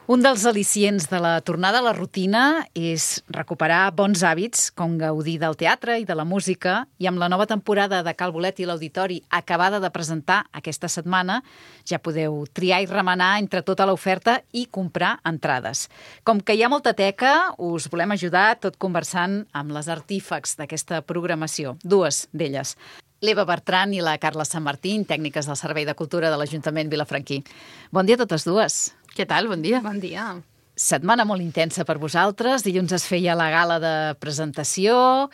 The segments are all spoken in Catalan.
Un dels al·licients de la tornada a la rutina és recuperar bons hàbits com gaudir del teatre i de la música, i amb la nova temporada de Cal Bolet i l'Auditori acabada de presentar aquesta setmana ja podeu triar i remenar entre tota l'oferta i comprar entrades. Com que hi ha molta teca, us volem ajudar tot conversant amb les artífex d'aquesta programació, dues d'elles. L'Eva Bertran i la Carla Sant Martín, tècniques del Servei de Cultura de l'Ajuntament Vilafranquí. Bon dia a totes dues. Què tal? Bon dia. Bon dia. Setmana molt intensa per vosaltres. Dilluns es feia la gala de presentació,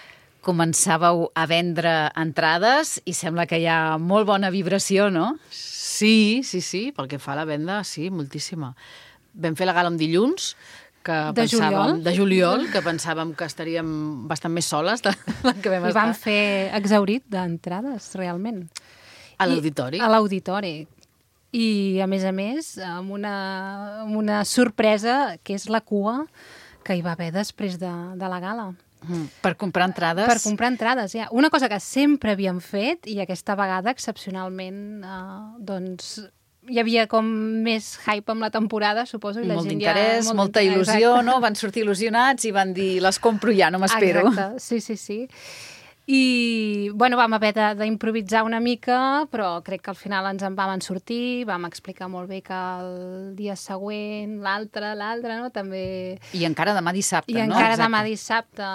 començàveu a vendre entrades i sembla que hi ha molt bona vibració, no? Sí, pel que fa a la venda, sí, moltíssima. Vam fer la gala un dilluns, de juliol, que pensàvem que estaríem bastant més soles del que vam estar. I vam fer exhaurit d'entrades, realment. A l'auditori. A l'auditori. I, a més, amb una sorpresa, que és la cua que hi va haver després de la gala. Per comprar entrades? Per comprar entrades, ja. Una cosa que sempre havíem fet, i aquesta vegada, excepcionalment, hi havia com més hype amb la temporada, suposo. I la molt gent d'interès, molta il·lusió, no? Van sortir il·lusionats i van dir, les compro ja, no m'espero. Exacte, sí. I, vam haver d'improvisar una mica, però crec que al final ens en vam sortir, vam explicar molt bé que el dia següent, l'altre, no? També... I encara demà dissabte, no? I encara demà dissabte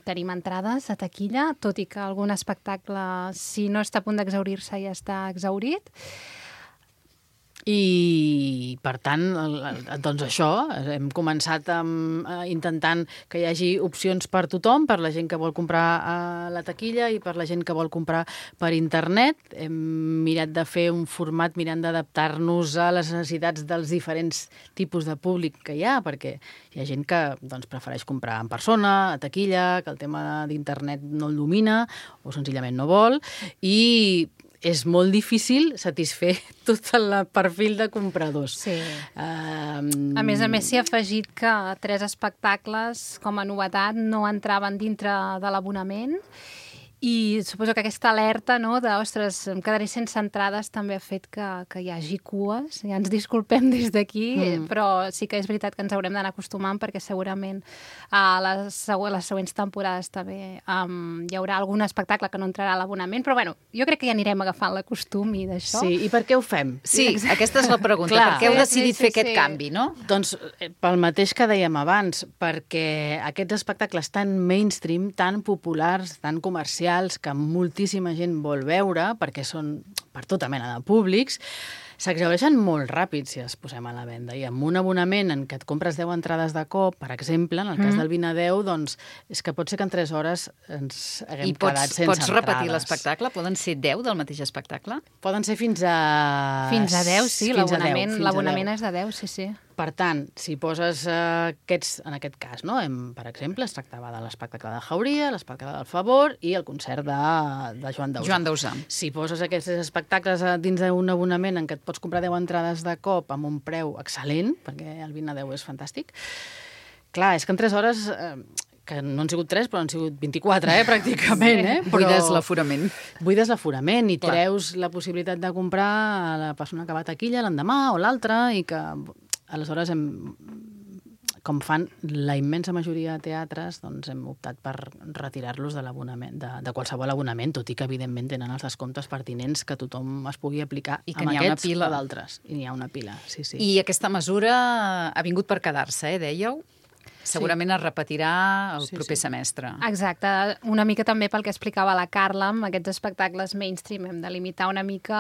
tenim entrades a taquilla, tot i que algun espectacle, si no està a punt d'exhaurir-se, ja està exhaurit. I, per tant, doncs això, hem començat intentant que hi hagi opcions per tothom, per la gent que vol comprar a la taquilla i per la gent que vol comprar per internet. Hem mirat de fer un format mirant d'adaptar-nos a les necessitats dels diferents tipus de públic que hi ha, perquè hi ha gent que prefereix comprar en persona, a taquilla, que el tema d'internet no el domina o senzillament no vol, i és molt difícil satisfer tot el perfil de compradors. Sí. A més, s'hi ha afegit que 3 espectacles, com a novetat, no entraven dintre de l'abonament, i suposo que aquesta alerta, no, de, ostres, em quedaré sense entrades, també ha fet que hi hagi cues. Ja ens disculpem des d'aquí, però sí que és veritat que ens haurem d'anar acostumant, perquè segurament a les següents temporades també hi haurà algun espectacle que no entrarà a l'abonament, però jo crec que ja anirem agafant la costum i d'això. Sí, i per què ho fem? Sí, aquesta és la pregunta. Clar, per què heu decidit fer aquest canvi, no? Doncs pel mateix que dèiem abans, perquè aquests espectacles tan mainstream, tan populars, tan comercials, que moltíssima gent vol veure, perquè són per tota mena de públics, s'exhaureixen molt ràpid si es posem a la venda. I amb un abonament en què et compres 10 entrades de cop, per exemple, en el cas del 20 a 10, doncs és que pot ser que en 3 hores ens haguem quedat sense entrades. I pots repetir l'espectacle? Poden ser 10 del mateix espectacle? Poden ser fins a... Fins a 10, sí, l'abonament és de 10, sí. Per tant, si poses aquests, en aquest cas, no? Per exemple, es tractava de l'espectacle de Jauria, l'espectacle del Favor i el concert de Joan Dausà. Si poses aquests espectacles dins d'un abonament en què et pots comprar 10 entrades de cop amb un preu excel·lent, perquè el 20 a 10 és fantàstic, clar, és que en 3 hores... que no han sigut 3, però han sigut 24, pràcticament. Buides l'aforament. Buides l'aforament i treus la possibilitat de comprar a la persona que va a taquilla l'endemà o l'altre, i que aleshores com fan la immensa majoria de teatres, doncs hem optat per retirar-los de l'abonament, de qualsevol abonament, tot i que evidentment tenen els descomptes pertinents que tothom es pugui aplicar amb aquests o d'altres. I n'hi ha una pila, sí. I aquesta mesura ha vingut per quedar-se, dèieu? Segurament es repetirà el proper semestre. Exacte. Una mica també pel que explicava la Carla, amb aquests espectacles mainstream hem de limitar una mica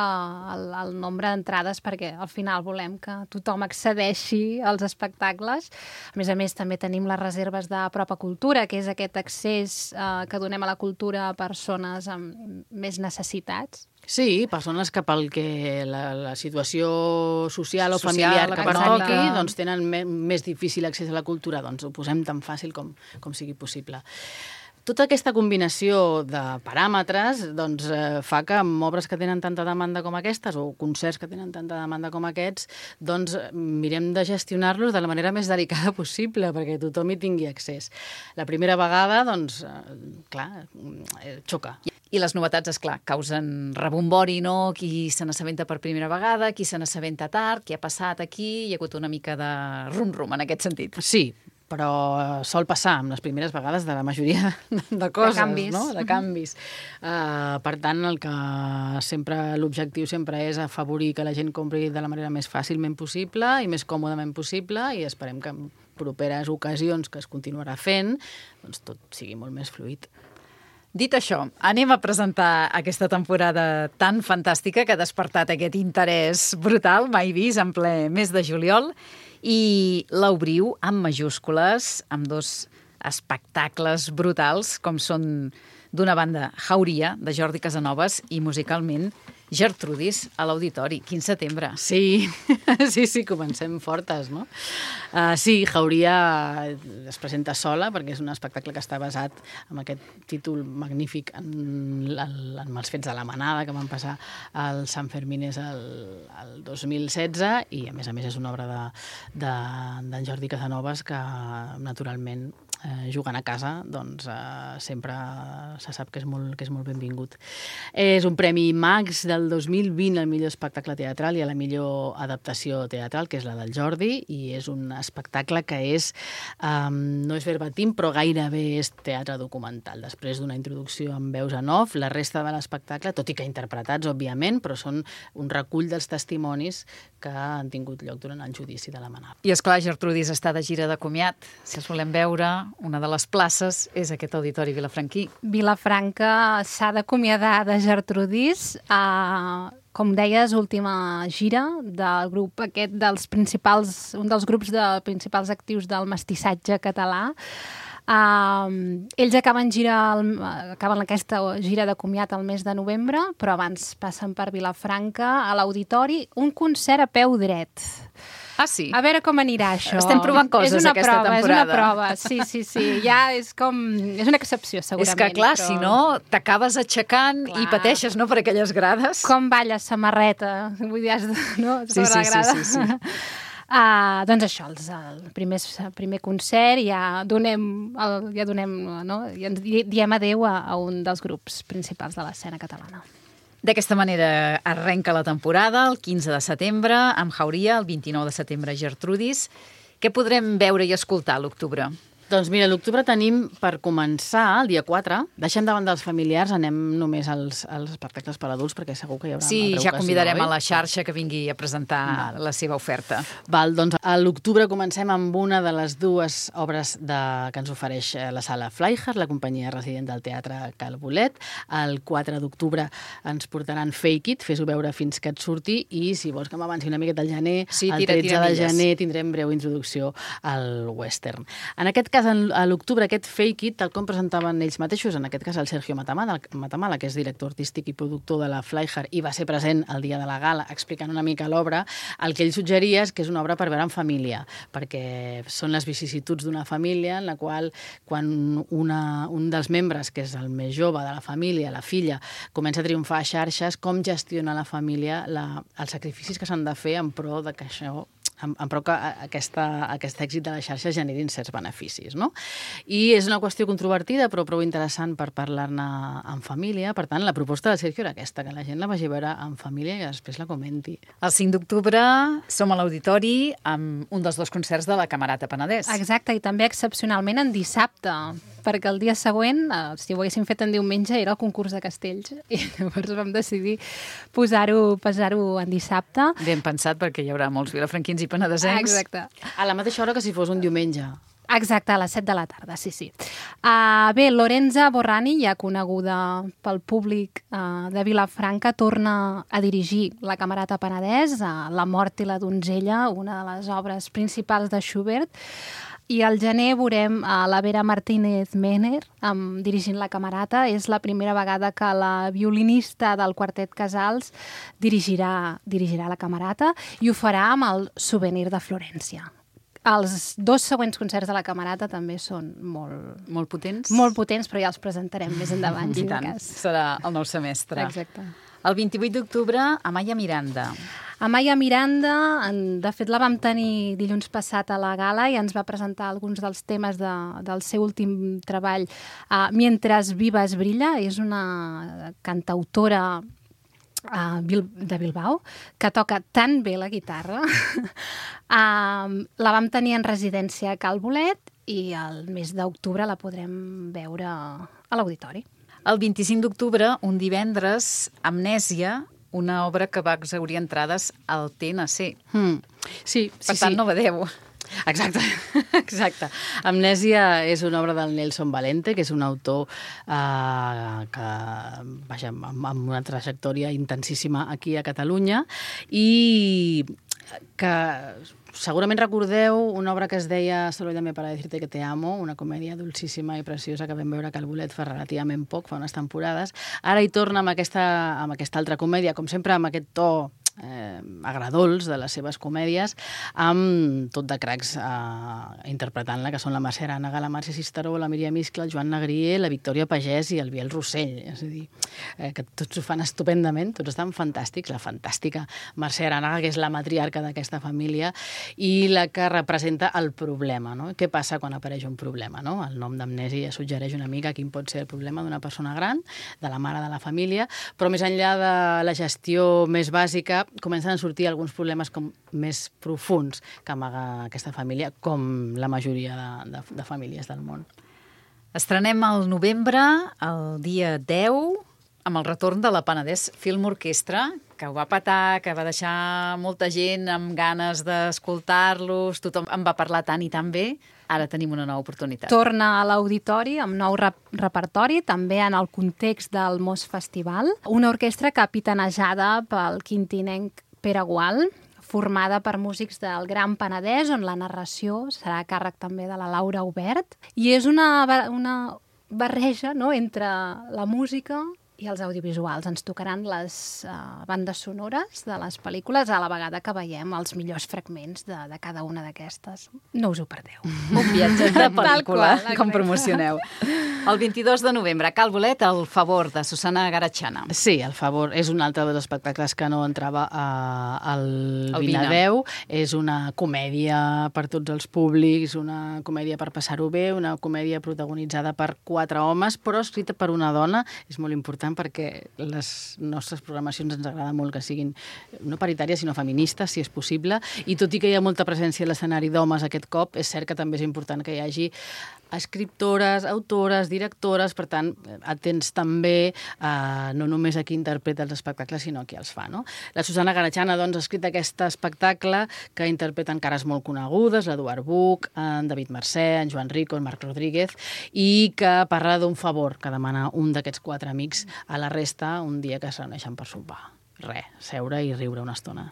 el nombre d'entrades, perquè al final volem que tothom accedeixi als espectacles. A més, també tenim les reserves de Propa Cultura, que és aquest accés que donem a la cultura a persones amb més necessitats. Sí, persones que pel que la situació social o familiar que pertoqui, doncs tenen més difícil accés a la cultura, doncs ho posem tan fàcil com sigui possible. Tota aquesta combinació de paràmetres doncs, fa que amb obres que tenen tanta demanda com aquestes o concerts que tenen tanta demanda com aquests, doncs mirem de gestionar-los de la manera més delicada possible perquè tothom hi tingui accés. La primera vegada, doncs, clar, xoca. I les novetats, esclar, causen rebombori, no? Qui se n'assabenta per primera vegada, qui se n'assabenta tard, què ha passat aquí, hi ha hagut una mica de rum-rum en aquest sentit. Sí, però sol passar amb les primeres vegades de la majoria de coses, de canvis. No? De canvis. Per tant, l'objectiu sempre és afavorir que la gent compri de la manera més fàcilment possible i més còmodament possible i esperem que en properes ocasions que es continuarà fent, doncs tot sigui molt més fluid. Dit això, anem a presentar aquesta temporada tan fantàstica que ha despertat aquest interès brutal, mai vist, en ple mes de juliol, i l'obriu amb majúscules, amb 2 espectacles brutals, com són, d'una banda, Jauria, de Jordi Casanovas, i musicalment Gertrudis, a l'Auditori, 15 de setembre. Sí, sí, comencem fortes, no? Sí, Jauria es presenta sola perquè és un espectacle que està basat en aquest títol magnífic en els fets de la manada que van passar al Sant Fermines el 2016 i, a més, és una obra d'en Jordi Casanovas que, naturalment, jugant a casa, doncs sempre se sap que és molt benvingut. És un premi Max del 2020 al millor espectacle teatral i a la millor adaptació teatral, que és la del Jordi, i és un espectacle que no és verbatim, però gairebé és teatre documental. Després d'una introducció amb veus en off, la resta de l'espectacle, tot i que interpretats, òbviament, però són un recull dels testimonis que han tingut lloc durant el judici de la Manada. I, esclar, Gertrudis està de gira de comiat. Si els volem veure, una de les places és aquest auditori vilafranquí. Vilafranca s'ha d'acomiadar de Gertrudis. Com deies, última gira del grup aquest un dels grups principals actius del mestissatge català. Ells acaben aquesta gira de comiat al mes de novembre, però abans passen per Vilafranca a l'Auditori, un concert a peu dret. Ah, sí? A veure com anirà això. Estem provant coses aquesta temporada. És una prova, sí. Ja és una excepció, segurament. És que, clar, si no, t'acabes aixecant i pateixes, no?, per aquelles grades. Com balla samarreta, vull dir, no? Sí. Doncs això, el primer concert ja diem adeu a un dels grups principals de l'escena catalana. D'aquesta manera arrenca la temporada, el 15 de setembre, amb Jauria, el 29 de setembre, Gertrudis. Què podrem veure i escoltar a l'octubre? Doncs mira, a l'octubre tenim, per començar, el dia 4, deixem davant dels familiars, anem només als espectacles per adults, perquè segur que hi haurà una altra ocasió. Sí, ja convidarem a la xarxa que vingui a presentar la seva oferta. Doncs a l'octubre comencem amb una de les 2 obres que ens ofereix la sala Flyhard, la companyia resident del Teatre Cal Bolet. El 4 d'octubre ens portaran Fake It, fes-ho veure fins que et surti, i si vols que m'avanci una miqueta al gener, el 13 de gener tindrem breu introducció al western. En aquest cas, a l'octubre, aquest Fake It, tal com presentaven ells mateixos, en aquest cas el Sergio Matamala, que és director artístic i productor de la Flyhard i va ser present el dia de la gala explicant una mica l'obra, el que ell suggeria és que és una obra per veure en família, perquè són les vicissituds d'una família en la qual quan un dels membres, que és el més jove de la família, la filla, comença a triomfar a xarxes, com gestiona la família els sacrificis que s'han de fer en pro de que això però que aquest èxit de la xarxa generin certs beneficis, no? I és una qüestió controvertida, però prou interessant per parlar-ne en família. Per tant, la proposta del Sergio era aquesta, que la gent la vagi a veure en família i després la comenti. El 5 d'octubre som a l'Auditori amb un dels 2 concerts de la Camerata Penedès. Exacte, i també excepcionalment en dissabte, perquè el dia següent, si ho haguéssim fet en diumenge, era el concurs de castells, i llavors vam decidir posar-ho en dissabte. Ben pensat, perquè hi haurà molts vilafranquins i penedesencs. Exacte. A la mateixa hora que si fos un diumenge. Exacte, a les 7 de la tarda, sí. Bé, Lorenza Borrani, ja coneguda pel públic de Vilafranca, torna a dirigir la Camerata Penedès, La mort i la donzella, una de les obres principals de Schubert. I al gener veurem la Vera Martínez Mener dirigint la Camerata. És la primera vegada que la violinista del Quartet Casals dirigirà la Camerata i ho farà amb el Souvenir de Florència. Els 2 següents concerts de la Camerata també són molt... Molt potents? Molt potents, però ja els presentarem més endavant, I tant, serà el nou semestre. Exacte. El 28 d'octubre, Amaya Miranda. Amaya Miranda, de fet la vam tenir dilluns passat a la gala i ens va presentar alguns dels temes del seu últim treball, Mientras Vivas Brilla. És una cantautora de Bilbao, que toca tan bé la guitarra. La vam tenir en residència a Cal Bolet i el mes d'octubre la podrem veure a l'auditori. El 25 d'octubre, un divendres, Amnèsia, una obra que va exhaurir entrades al TNC. Sí. Per tant, no badeu. Exacte, exacte. Amnèsia és una obra del Nelson Valente, que és un autor que, vaja, amb una trajectòria intensíssima aquí a Catalunya i que segurament recordeu una obra que es deia Solo llamé para decirte que te amo, una comèdia dolcíssima i preciosa que vam veure a Cal Bolet fa relativament poc, fa unes temporades. Ara hi torna amb aquesta altra comèdia, com sempre amb aquest to agradols de les seves comèdies, amb tot de cracs interpretant-la, que són la Mercè Arànega, la Màrcia Cisteró, la Míriam Iscle, el Joan Negrier, la Victòria Pagès i el Biel Rossell. És a dir, que tots ho fan estupendament, tots estan fantàstics. La fantàstica Mercè Arànega, que és la matriarca d'aquesta família i la que representa el problema, no? Què passa quan apareix un problema, no? El nom d'Amnèsia suggereix una mica quin pot ser el problema d'una persona gran, de la mare de la família, però més enllà de la gestió més bàsica, comencen a sortir alguns problemes més profuns que amaga aquesta família, com la majoria de famílies del món. Estrenem al novembre, el dia 10, amb el retorn de la Penedès Film Orquestra, que ho va petar, que va deixar molta gent amb ganes d'escoltar-los, tothom en va parlar tant i tan bé. Ara tenim una nova oportunitat. Torna a l'auditori amb nou repertori, també en el context del Mos Festival. Una orquestra capitanejada pel quintinenc Pere Gual, formada per músics del Gran Penedès, on la narració serà a càrrec també de la Laura Obert. I és una barreja, no?, entre la música i els audiovisuals. Ens tocaran les bandes sonores de les pel·lícules a la vegada que veiem els millors fragments de cada una d'aquestes. No us ho perdeu. Un viatge de pel·lícula, qual, com promocioneu. El 22 de novembre, a Cal Bolet, El favor, de Susana Garatxana. Sí, El favor és un altre dels espectacles que no entrava al Vinadeu. És una comèdia per tots els públics, una comèdia per passar-ho bé, una comèdia protagonitzada per 4 homes, però escrita per una dona. És molt important perquè les nostres programacions ens agrada molt que siguin no paritàries, sinó feministes, si és possible, i tot i que hi ha molta presència a l'escenari d'homes aquest cop, és cert que també és important que hi hagi escriptores, autores, directores, per tant, atents també no només a qui interpreta els espectacles, sinó a qui els fa, no? La Susana Garatxana, doncs, ha escrit aquest espectacle que interpreten cares molt conegudes, l'Eduard Buch, en David Mercè, en Joan Rico, en Marc Rodríguez, i que parla d'un favor que demana un d'aquests 4 amics a la resta un dia que es reuneixen per sopar. Seure i riure una estona.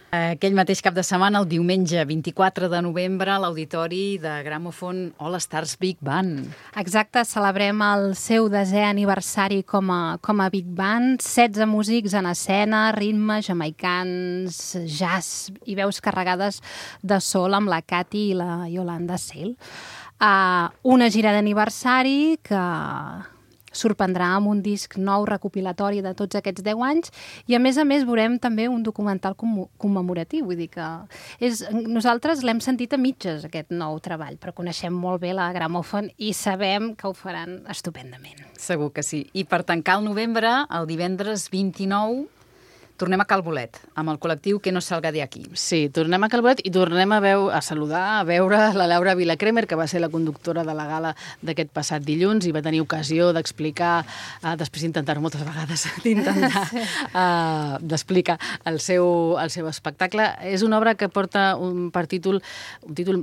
Aquell mateix cap de setmana, el diumenge 24 de novembre, a l'auditori de Gramòfon All Stars Big Band. Exacte, celebrem el seu 10è aniversari com a Big Band, 16 músics en escena, ritmes jamaicans, jazz i veus carregades de sol amb la Cati i la Yolanda Sale. Una gira d'aniversari que sorprendrà amb un disc nou recopilatori de tots aquests 10 anys i, a més, veurem també un documental commemoratiu. Vull dir que nosaltres l'hem sentit a mitges, aquest nou treball, però coneixem molt bé la Gramòfon i sabem que ho faran estupendament. Segur que sí. I per tancar el novembre, el divendres 29, tornem a Cal Bolet, amb el col·lectiu Que no salga de aquí. Sí, tornem a Cal Bolet i tornem a saludar, a veure la Laura Vilacremer, que va ser la conductora de la gala d'aquest passat dilluns i va tenir ocasió d'explicar, després d'intentar moltes vegades, d'explicar el seu espectacle. És una obra que porta un títol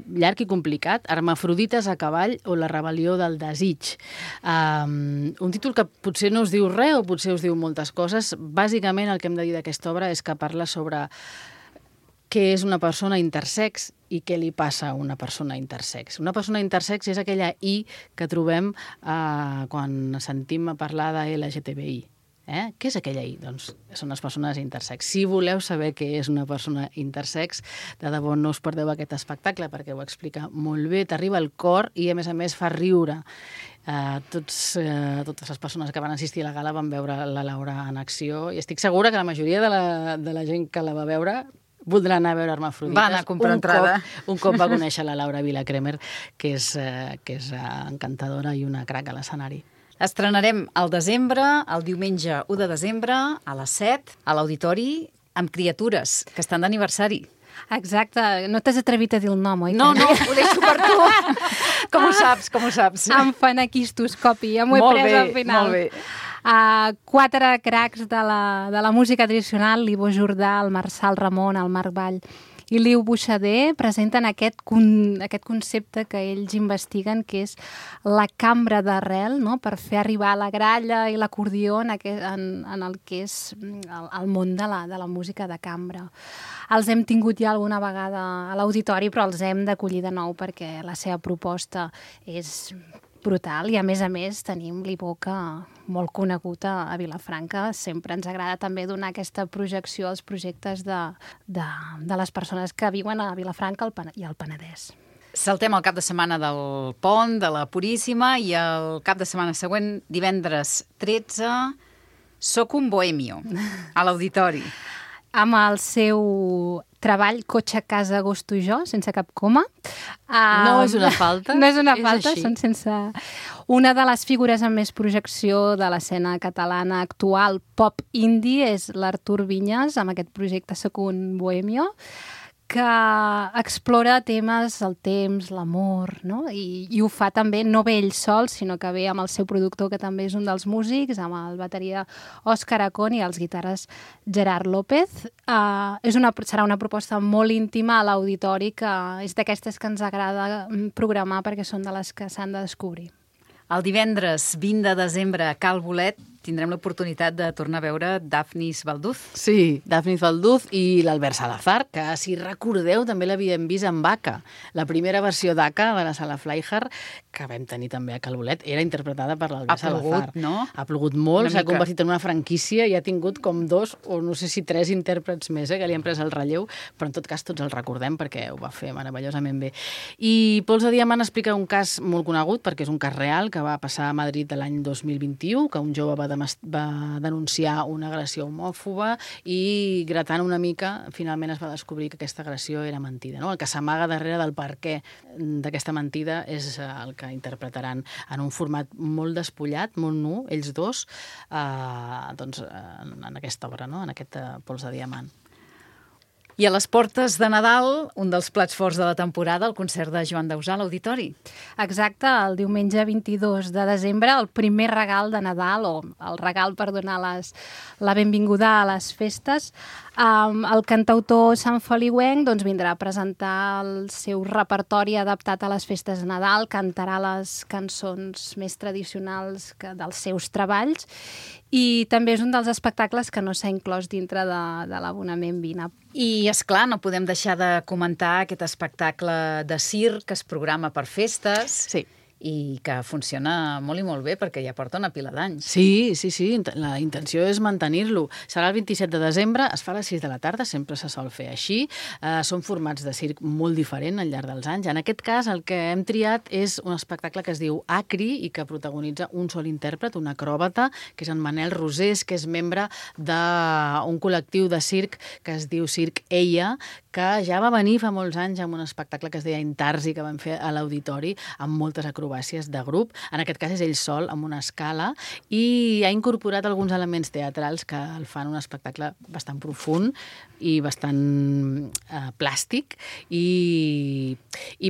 llarg i complicat, Hermafrodites a cavall o la rebel·lió del desig. Un títol que potser no us diu res o potser us diu moltes coses. Bàsicament el que hem de dir d'aquesta obra és que parla sobre què és una persona intersex i què li passa a una persona intersex. Una persona intersex és aquella I que trobem quan sentim a parlar de LGTBI. Què és aquella I? Doncs són les persones intersex. Si voleu saber què és una persona intersex, de debò no us perdeu aquest espectacle perquè ho explica molt bé, t'arriba al cor i a més fa riure. Totes les persones que van assistir a la gala van veure la Laura en acció i estic segura que la majoria de la gent que la va veure voldrà anar a veure Hermafrodites. Va anar a comprar entrada. Un cop va conèixer la Laura Vila-Cremer, que és encantadora i una crac a l'escenari. Estrenarem al desembre, el diumenge 1 de desembre, a les 7, a l'Auditori, amb Criatures, que estan d'aniversari. Exacte. No t'has atrevit a dir el nom, oi? No, ho deixo per tu. Com ho saps? Em fan aquistoscopi, ja m'ho he pres al final. Molt bé. 4 cracs de la música tradicional, l'Ivo Jordà, el Marçal Ramon, el Marc Vall i Liu Buixader, presenten aquest concepte que ells investiguen, que és la cambra d'arrel, no? Per fer arribar la gralla i l'acordió en el que és el món de la música de cambra. Els hem tingut ja alguna vegada a l'auditori, però els hem d'acollir de nou perquè la seva proposta és brutal i a més tenim l'Ivoca molt conegut a Vilafranca. Sempre ens agrada també donar aquesta projecció als projectes de les persones que viuen a Vilafranca i al Penedès. Saltem el cap de setmana del Pont, de la Puríssima, i el cap de setmana següent, divendres 13, Soc un bohemio, a l'Auditori. Amb el seu treball Cotxe, casa, agosto i jo, sense cap coma. No és una falta. No és una falta, així. són sense... Una de les figures amb més projecció de l'escena catalana actual pop indie és l'Artur Vinyes, amb aquest projecte Soc un bohemio, que explora temes, el temps, l'amor, no? I ho fa també, no ve ell sol, sinó que ve amb el seu productor, que també és un dels músics, amb el bateria Òscar Acón i els guitarres Gerard López. Serà una proposta molt íntima a l'auditori, que és d'aquestes que ens agrada programar perquè són de les que s'han de descobrir. El divendres 20 de desembre a Cal Bolet tindrem l'oportunitat de tornar a veure Dafnis Balduz. Sí, Dafnis Balduz i l'Albert Salazar, que si recordeu també l'havíem vist en Vaca. La primera versió d'Aka de la Sala Flyhard, que vam tenir també a Cal Bolet, era interpretada per l'Albert Salazar. Ha plogut, no? Ha plogut molt, s'ha convertit en una franquícia i ha tingut com 2 o no sé si 3 intèrprets més que li han pres el relleu, però en tot cas tots el recordem perquè ho va fer meravellosament bé. I Pols de Diamant explica un cas molt conegut, perquè és un cas real que va passar a Madrid l'any 2021, que un jove va denunciar una agressió homòfoba i gratant una mica finalment es va descobrir que aquesta agressió era mentida. No? El que s'amaga darrere del perquè d'aquesta mentida és el que interpretaran en un format molt despullat, molt nu, ells dos, en aquesta obra, no? En aquest Pols de Diamant. I a les portes de Nadal, un dels plats forts de la temporada, el concert de Joan Dausà a l'Auditori. Exacte, el diumenge 22 de desembre, el primer regal de Nadal, o el regal per donar la benvinguda a les festes. El cantautor santfeliuenc vindrà a presentar el seu repertori adaptat a les festes de Nadal, cantarà les cançons més tradicionals dels seus treballs i també és un dels espectacles que no s'ha inclòs dintre de l'abonament Vina. I, esclar, no podem deixar de comentar aquest espectacle de circ que es programa per festes. Sí. I que funciona molt i molt bé perquè ja porta una pila d'anys. Sí, la intenció és mantenir-lo. Serà el 27 de desembre, es fa a les 6 de la tarda, sempre se sol fer així. Són formats de circ molt diferent al llarg dels anys. En aquest cas, el que hem triat és un espectacle que es diu Acri i que protagonitza un sol intèrpret, un acròbata, que és en Manel Rosés, que és membre d'un col·lectiu de circ que es diu Circ Eia, que ja va venir fa molts anys amb un espectacle que es deia Intarsi, que van fer a l'Auditori, amb moltes acrobàcies de grup. En aquest cas és ell sol, amb una escala, i ha incorporat alguns elements teatrals que el fan un espectacle bastant profund i bastant plàstic, i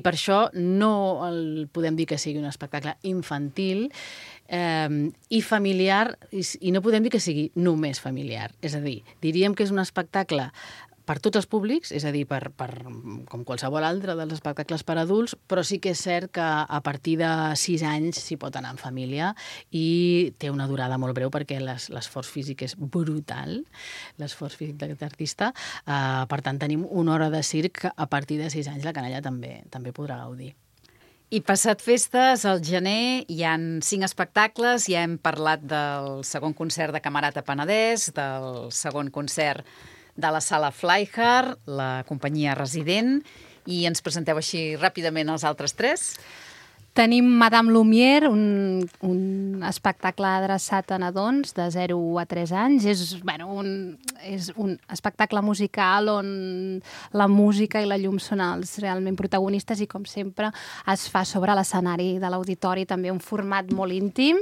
per això no el podem dir que sigui un espectacle infantil i familiar, i no podem dir que sigui només familiar. És a dir, diríem que és un espectacle per tots els públics, és a dir, com qualsevol altre dels espectacles per adults, però sí que és cert que a partir de 6 anys s'hi pot anar en família i té una durada molt breu perquè l'esforç físic és brutal, l'esforç físic d'aquest artista. Per tant, tenim una hora de circ a partir de 6 anys la canalla també podrà gaudir. I passat festes, al gener hi han 5 espectacles, ja hem parlat del segon concert de Camerata Penedès, del segon concert de la Sala Flyhard, la companyia resident, i ens presenteu així ràpidament els altres 3. Tenim Madame Lumière, un espectacle adreçat a nadons de 0 a 3 anys. És un espectacle musical on la música i la llum són els realment protagonistes i, com sempre, es fa sobre l'escenari de l'auditori, també un format molt íntim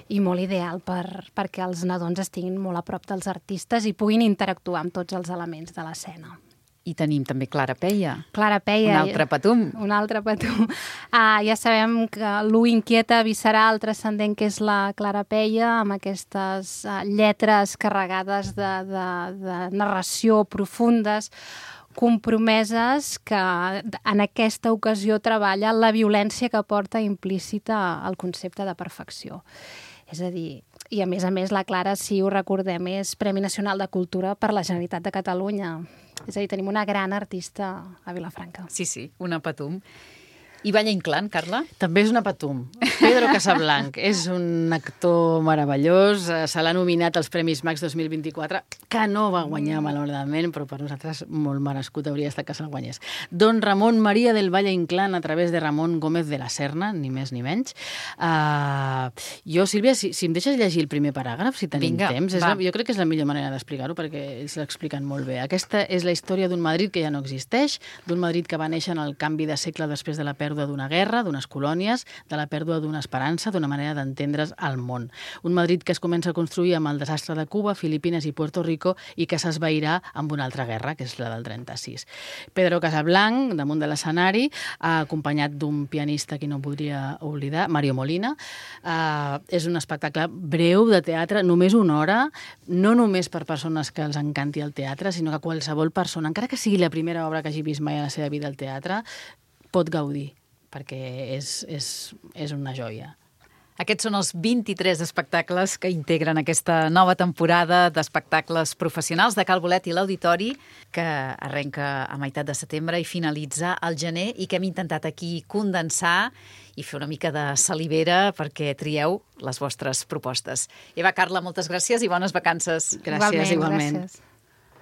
i molt ideal perquè els nadons estiguin molt a prop dels artistes i puguin interactuar amb tots els elements de l'escena. I tenim també Clara Peia. Clara Peia. Un altre patum. Un altre patum. Ja sabem que l'U inquieta visceral, el transcendent, que és la Clara Peia, amb aquestes lletres carregades de narració profundes, compromeses, que en aquesta ocasió treballa la violència que porta implícita al concepte de perfecció. És a dir, i a més, la Clara, si ho recordem, és Premi Nacional de Cultura per la Generalitat de Catalunya. És a dir, tenim una gran artista a Vilafranca. Sí, una patum. I Valle Inclán, Carla? També és una patum. Pedro Casablanc és un actor meravellós, se l'ha nominat als Premis Max 2024, que no va guanyar malauradament, però per nosaltres molt merescut hauria estat que se'l guanyés. Don Ramon María del Valle Inclán a través de Ramon Gómez de la Serna, ni més ni menys. Jo, Sílvia, si em deixes llegir el primer paràgraf, si tenim temps, jo crec que és la millor manera d'explicar-ho, perquè ells l'expliquen molt bé. Aquesta és la història d'un Madrid que ja no existeix, d'un Madrid que va néixer en el canvi de segle després de la pèrdua d'una guerra, d'unes colònies, de la pèrdua d'una esperança, d'una manera d'entendre's al món. Un Madrid que es comença a construir amb el desastre de Cuba, Filipines i Puerto Rico i que s'esvairà amb una altra guerra, que és la del 36. Pedro Casablanc, damunt de l'escenari, acompanyat d'un pianista que no podria oblidar, Mario Molina. És un espectacle breu de teatre, només una hora, no només per persones que els encanti el teatre, sinó que qualsevol persona, encara que sigui la primera obra que hagi vist mai a la seva vida al teatre, pot gaudir, perquè és una joia. Aquests són els 23 espectacles que integren aquesta nova temporada d'espectacles professionals de Cal Bolet i l'Auditori, que arrenca a meitat de setembre i finalitza al gener, i que hem intentat aquí condensar i fer una mica de salivera perquè trieu les vostres propostes. Eva, Carla, moltes gràcies i bones vacances. Gràcies, igualment. Gràcies.